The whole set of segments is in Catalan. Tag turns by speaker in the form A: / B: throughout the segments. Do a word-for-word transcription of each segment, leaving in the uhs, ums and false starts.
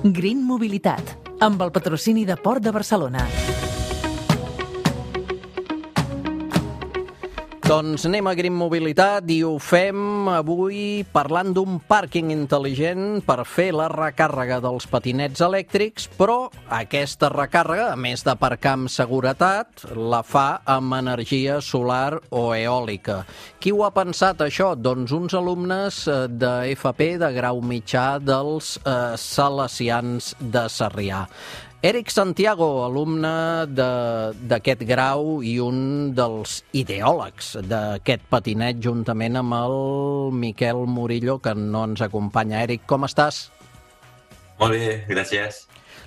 A: Green Mobilitat, amb el patrocini de Port de Barcelona.
B: Doncs anem a Green Mobilitat i ho fem avui parlant d'un pàrquing intel·ligent per fer la recàrrega dels patinets elèctrics, però aquesta recàrrega, a més d'aparcar amb seguretat, la fa amb energia solar o eòlica. Qui ho ha pensat, això? Doncs uns alumnes de F P de grau mitjà dels eh, Salesians de Sarrià. Eric Santiago, alumne d'aquest grau i un dels ideòlegs d'aquest patinet, juntament amb el Miquel Murillo, que no ens acompanya. Eric, com estàs?
C: Molt bé, gràcies.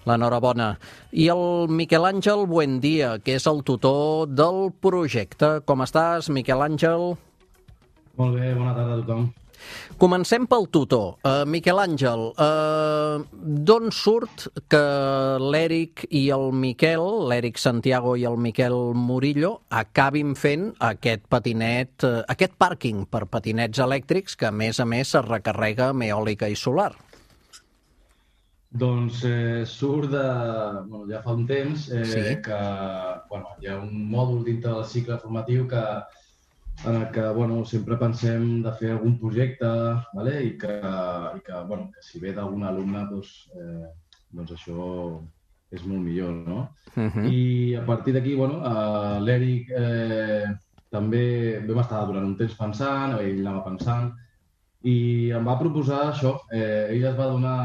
B: L'enhorabona. I el Miquel Àngel Buendia, que és el tutor del projecte. Com estàs, Miquel Àngel?
D: Molt bé, bona tarda a tothom.
B: Comencem pel tutor. Uh, Miquel Àngel, uh, d'on surt que l'Eric i el Miquel, l'Eric Santiago i el Miquel Murillo, acabin fent aquest patinet, uh, aquest pàrquing per patinets elèctrics que, a més a més, es recarrega amb eòlica i solar?
D: Doncs eh, surt de... Bueno, ja fa un temps eh,
B: sí.
D: que bueno, hi ha un mòdul dintre del cicle formatiu que en el que bueno, sempre pensem de fer algun projecte, vale? I, que, i que, bueno, que si ve d'algun alumne doncs, eh, doncs això és molt millor, no?
B: Uh-huh.
D: I a partir d'aquí, bueno, eh, l'Eric eh, també vam estar durant un temps pensant, ell anava pensant, i em va proposar això. Eh, ell es va donar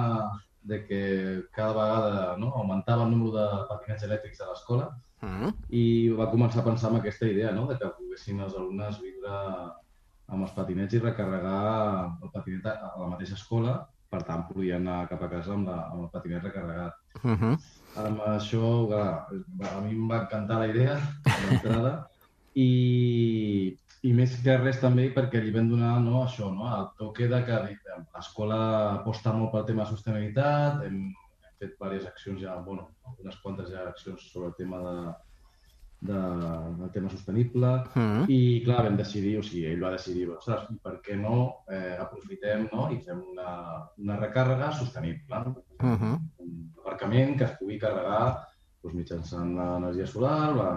D: de que cada vegada no, augmentava el número de patinets elèctrics a l'escola. Uh-huh. I va començar a pensar en aquesta idea, no?, de que poguessin els alumnes viure amb els patinets i recarregar el patinet a la mateixa escola, per tant, podien anar cap a casa amb, la, amb el patinet recarregat.
B: Uh-huh.
D: Amb això, clar, a mi em va encantar la idea, l'entrada, i, i més que res també perquè li vam donar no, això, no, el toque de que l'escola aposta molt pel tema de sostenibilitat, hem fet diverses accions ja, bueno, unes quantes ja accions sobre el tema de, de, del tema sostenible mm. i clar, vam decidir, o sigui, ell va decidir, ostres, per què no eh, aprofitem no, i fem una, una recàrrega sostenible, mm -hmm. un aparcament que es pugui carregar doncs, mitjançant l'energia solar, la...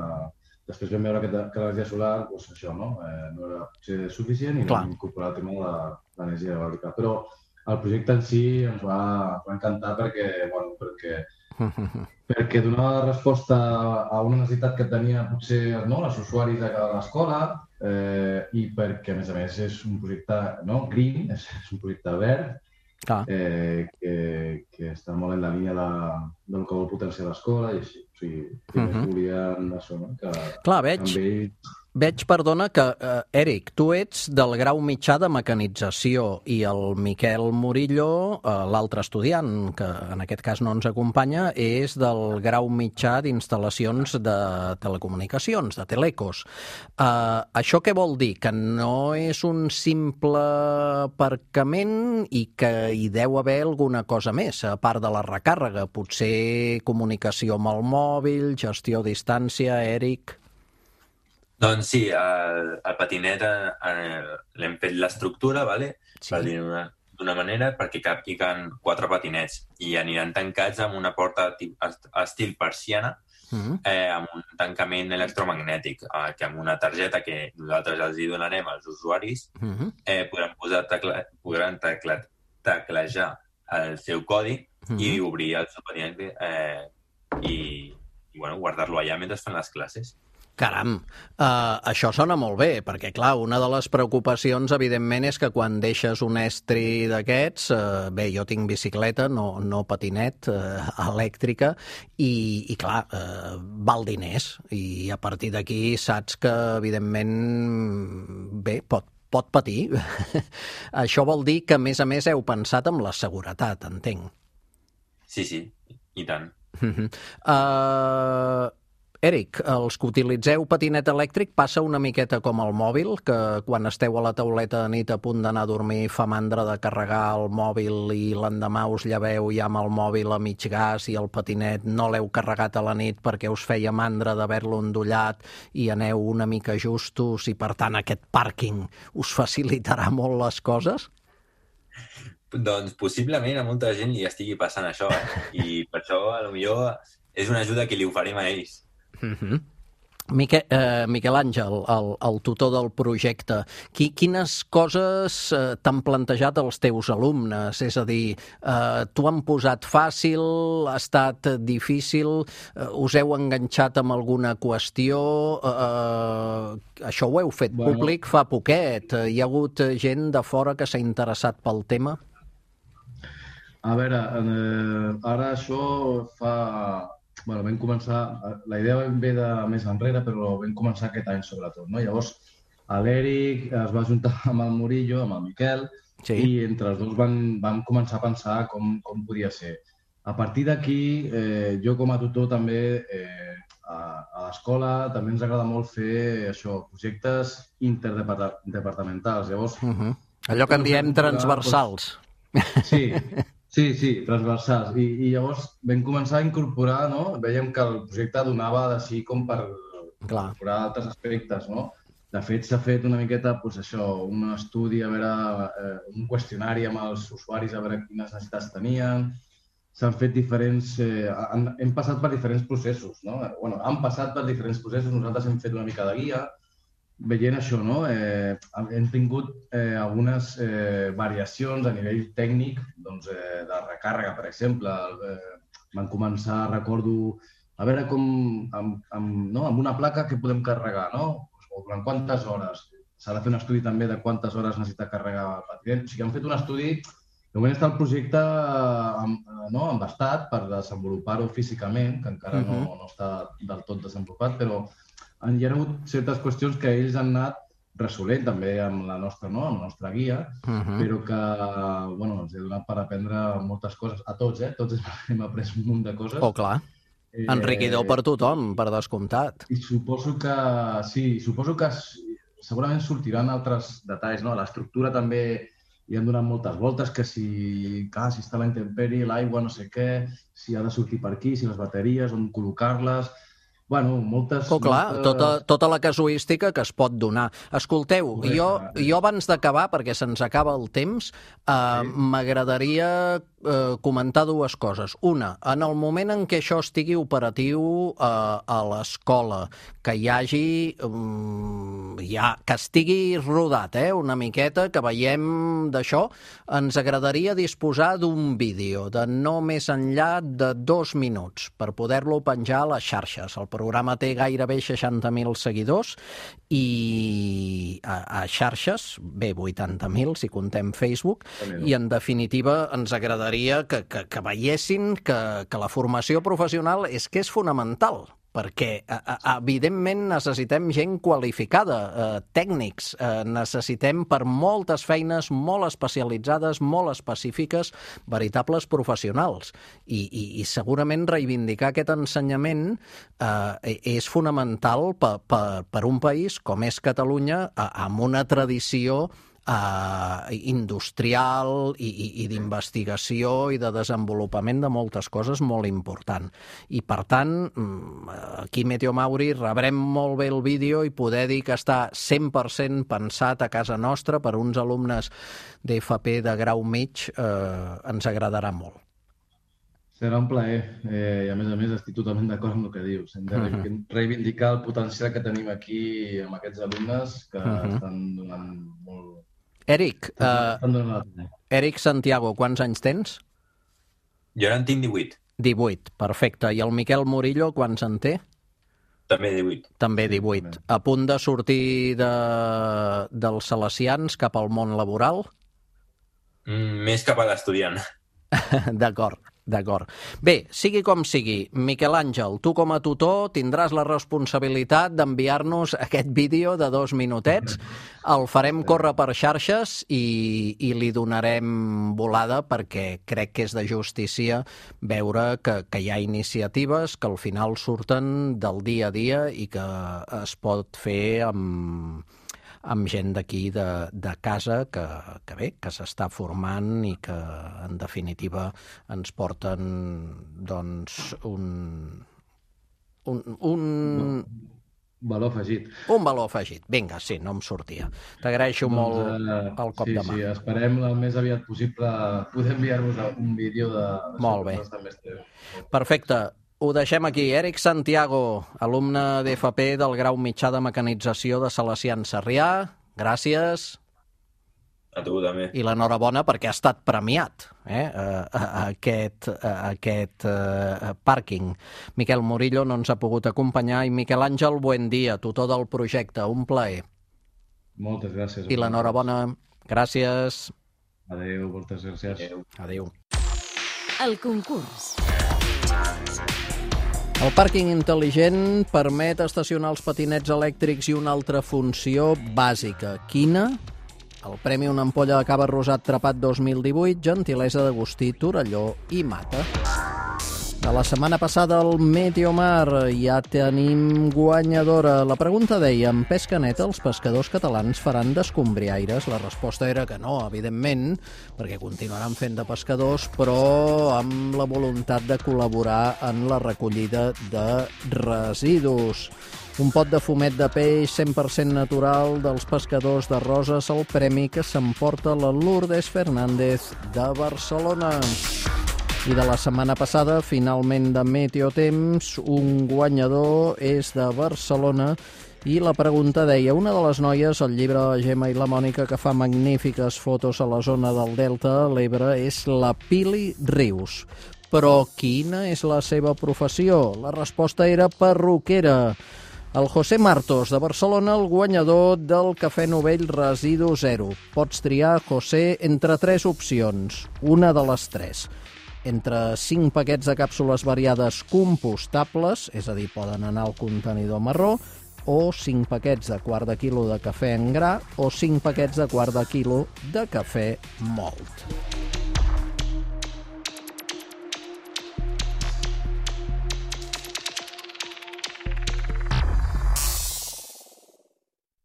D: després vam veure que, que l'energia solar, doncs això, no, eh, no era potser suficient i vam incorporar el tema de l'energia eòlica, però el projecte en si ens va, va encantar perquè, bueno, perquè, perquè donava resposta a una necessitat que tenia potser no, els usuaris de l'escola eh, i perquè, a més a més, és un projecte no, green, és, és un projecte verd eh, que, que està molt en la línia de, del que vol potenciar l'escola i així. O sigui, que uh -huh. volien això, no? Que
B: Clar, veig... Ell... Veig, perdona, que, eh, Eric, tu ets del grau mitjà de mecanització i el Miquel Murillo, eh, l'altre estudiant, que en aquest cas no ens acompanya, és del grau mitjà d'instal·lacions de telecomunicacions, de telecos. Eh, això què vol dir? Que no és un simple aparcament i que hi deu haver alguna cosa més, a part de la recàrrega, potser comunicació amb el mòbil, gestió a distància, Eric...
C: Doncs sí, el, el patinet eh, l'hem fet l'estructura, vale? Sí. Per dir-ho d'una manera, perquè capiguen quatre patinets i aniran tancats amb una porta estil persiana, uh-huh. eh, amb un tancament electromagnètic, eh, que amb una targeta que nosaltres els hi donarem als usuaris, uh-huh. eh, podran, posar tecla, podran tecla, teclejar el seu codi uh-huh. i obrir el seu patinet eh, i, i bueno, guardar-lo allà mentre fan les classes.
B: Caram, uh, això sona molt bé, perquè, clar, una de les preocupacions, evidentment, és que quan deixes un estri d'aquests, uh, bé, jo tinc bicicleta, no, no patinet, uh, elèctrica, i, i clar, uh, val diners, i a partir d'aquí saps que, evidentment, bé, pot, pot patir. Això vol dir que, a més a més, heu pensat en la seguretat, entenc.
C: Sí, sí, i tant.
B: Uh-huh. Uh... Eric, els que utilitzeu patinet elèctric passa una miqueta com el mòbil, que quan esteu a la tauleta de nit a punt d'anar a dormir fa mandra de carregar el mòbil i l'endemà us lleveu ja amb el mòbil a mig gas i el patinet no l'heu carregat a la nit perquè us feia mandra d'haver-lo endollat i aneu una mica justos i per tant aquest pàrquing us facilitarà molt les coses?
C: Doncs possiblement a molta gent li estigui passant això, eh? I per això, a lo millor, és una ajuda que li oferim a ells.
B: Mm-hmm. Miquel, eh, Miquel Àngel, el, el tutor del projecte, qui, quines coses eh, t'han plantejat els teus alumnes? És a dir, eh, t'ho han posat fàcil, ha estat difícil, eh, us heu enganxat amb alguna qüestió? Eh, això ho heu fet bueno. públic fa poquet. Hi ha hagut gent de fora que s'ha interessat pel tema?
D: A veure, eh, ara això fa... Bueno, vam començar... La idea ve de més enrere, però vam començar aquest any, sobretot, no? Llavors, l'Eric es va juntar amb el Murillo, amb el Miquel, sí. I entre els dos van, van començar a pensar com, com podia ser. A partir d'aquí, eh, jo com a tutor també, eh, a, a l'escola també ens agrada molt fer això, projectes interdepartamentals. Llavors...
B: Uh-huh. Allò que en diem transversals.
D: Doncs... Sí, Sí, sí, transversals. I, i llavors vam començar a incorporar, no? Vèiem que el projecte donava d'així com per Clar. incorporar altres aspectes, no? De fet, s'ha fet una miqueta, doncs això, un estudi, a veure, eh, un qüestionari amb els usuaris, a veure quines necessitats tenien. S'han fet diferents... Eh, han, hem passat per diferents processos, no? Bueno, han passat per diferents processos, nosaltres hem fet una mica de guia, veient això, no? Eh, hem tingut eh, algunes eh, variacions a nivell tècnic, doncs, eh, de recàrrega, per exemple. Eh, van començar, recordo, a veure com, amb, amb, no? amb una placa que podem carregar, no? O durant quantes hores. S'ha de fer un estudi també de quantes hores necessita carregar el patient. O sigui, han fet un estudi... De moment està el projecte no, embastat per desenvolupar-ho físicament, que encara uh-huh. no, no està del tot desenvolupat, però hi ha hagut certes qüestions que ells han anat resolent també amb la nostra, no? amb la nostra guia, uh-huh. però que bueno, ens he donat per aprendre moltes coses, a tots, eh? Tots hem après un munt de coses.
B: Oh, clar. Eh, Enriquidor per tothom, per descomptat.
D: I suposo que, sí, suposo que segurament sortiran altres detalls, no? L'estructura també hi han donat moltes voltes, que si, clar, si està la intempèrie, l'aigua, no sé què, si ha de sortir per aquí, si les bateries, on col·locar-les... Bueno, moltes...
B: Oh, clar, moltes... Tota, tota la casuística que es pot donar. Escolteu, Correcte. jo, jo abans d'acabar, perquè se'ns acaba el temps, eh, sí. m'agradaria eh, comentar dues coses. Una, en el moment en què això estigui operatiu eh, a l'escola, que hi hagi... Um, ja, que estigui rodat, eh, una miqueta, que veiem d'això, ens agradaria disposar d'un vídeo de no més enllà de dos minuts per poder-lo penjar a les xarxes. El programa té gairebé seixanta mil seguidors i a, a xarxes, bé, vuitanta mil si contem Facebook, i en definitiva ens agradaria que, que, que veiessin que, que la formació professional és que és fonamental, perquè a, a, evidentment necessitem gent qualificada, eh, tècnics, eh, necessitem per moltes feines molt especialitzades, molt específiques, veritables professionals. I, i, i segurament reivindicar aquest ensenyament eh, és fonamental per, per, per un país com és Catalunya, eh, amb una tradició Uh, industrial i, i, i d'investigació i de desenvolupament de moltes coses molt important. I, per tant, aquí Meteo Mauri rebrem molt bé el vídeo i poder dir que està cent per cent pensat a casa nostra per uns alumnes d'F P de grau mig eh, ens agradarà molt.
D: Serà un plaer. Eh, I, a més a més, estic totalment d'acord amb el que dius. Hem de uh-huh. reivindicar el potencial que tenim aquí amb aquests alumnes que uh-huh. estan donant molt...
B: Eric, uh, Eric Santiago, quants anys tens?
C: Jo ara en tinc divuit.
B: divuit, perfecte. I el Miquel Murillo, quants en té?
C: També divuit.
B: També divuit. Sí, a punt de sortir de, dels salesians cap al món laboral?
C: Mm, més cap a l'estudiant.
B: D'acord. D'acord. Bé, sigui com sigui, Miquel Àngel, tu com a tutor tindràs la responsabilitat d'enviar-nos aquest vídeo de dos minutets. El farem córrer per xarxes i, i li donarem volada perquè crec que és de justícia veure que, que hi ha iniciatives que al final surten del dia a dia i que es pot fer amb... amb gent d'aquí de, de casa que, que bé, que s'està formant i que en definitiva ens porten doncs un... un, un...
D: valor afegit.
B: Un valor afegit. Vinga, sí, no em sortia. T'agraeixo
D: Doncs,
B: molt
D: eh,
B: el cop
D: sí,
B: de mà.
D: Sí, esperem el més aviat possible poder enviar-vos un vídeo de...
B: Molt bé. Perfecte. Ho deixem aquí. Eric Santiago, alumne d'F P del grau mitjà de mecanització de Salesians Sarrià. Gràcies.
C: A tu també.
B: I l'enhorabona perquè ha estat premiat eh, aquest, aquest uh, pàrquing. Miquel Murillo no ens ha pogut acompanyar i Miquel Àngel Buendía, tutor del projecte. Un plaer.
D: Moltes gràcies.
B: I l'enhorabona. Gràcies.
D: Adéu, moltes gràcies.
B: Adéu. Adéu.
E: El concurs.
B: El pàrquing intel·ligent permet estacionar els patinets elèctrics i una altra funció bàsica. Quina? El Premi Una Ampolla de Cava Rosat Trepat dos mil divuit, gentilesa d'Agustí Torelló i Mata. De la setmana passada al Meteomar ja tenim guanyadora. La pregunta deia, en pesca neta els pescadors catalans faran d'escombriaires? La resposta era que no, evidentment, perquè continuaran fent de pescadors, però amb la voluntat de col·laborar en la recollida de residus. Un pot de fumet de peix cent per cent natural dels pescadors de Roses, el premi que s'emporta la Lourdes Fernández de Barcelona. I de la setmana passada, finalment de Meteotemps, un guanyador és de Barcelona i la pregunta deia, una de les noies, el llibre de la Gemma i la Mònica, que fa magnífiques fotos a la zona del Delta de l'Ebre, és la Pili Rius. Però quina és la seva professió? La resposta era perruquera. El José Martos, de Barcelona, el guanyador del Cafè Novell Residu Zero. Pots triar, José, entre tres opcions. Una de les tres. Entre cinc paquets de càpsules variades compostables, és a dir, poden anar al contenidor marró, o cinc paquets de quart de quilo de cafè en gra, o cinc paquets de quart de quilo de cafè mòlt.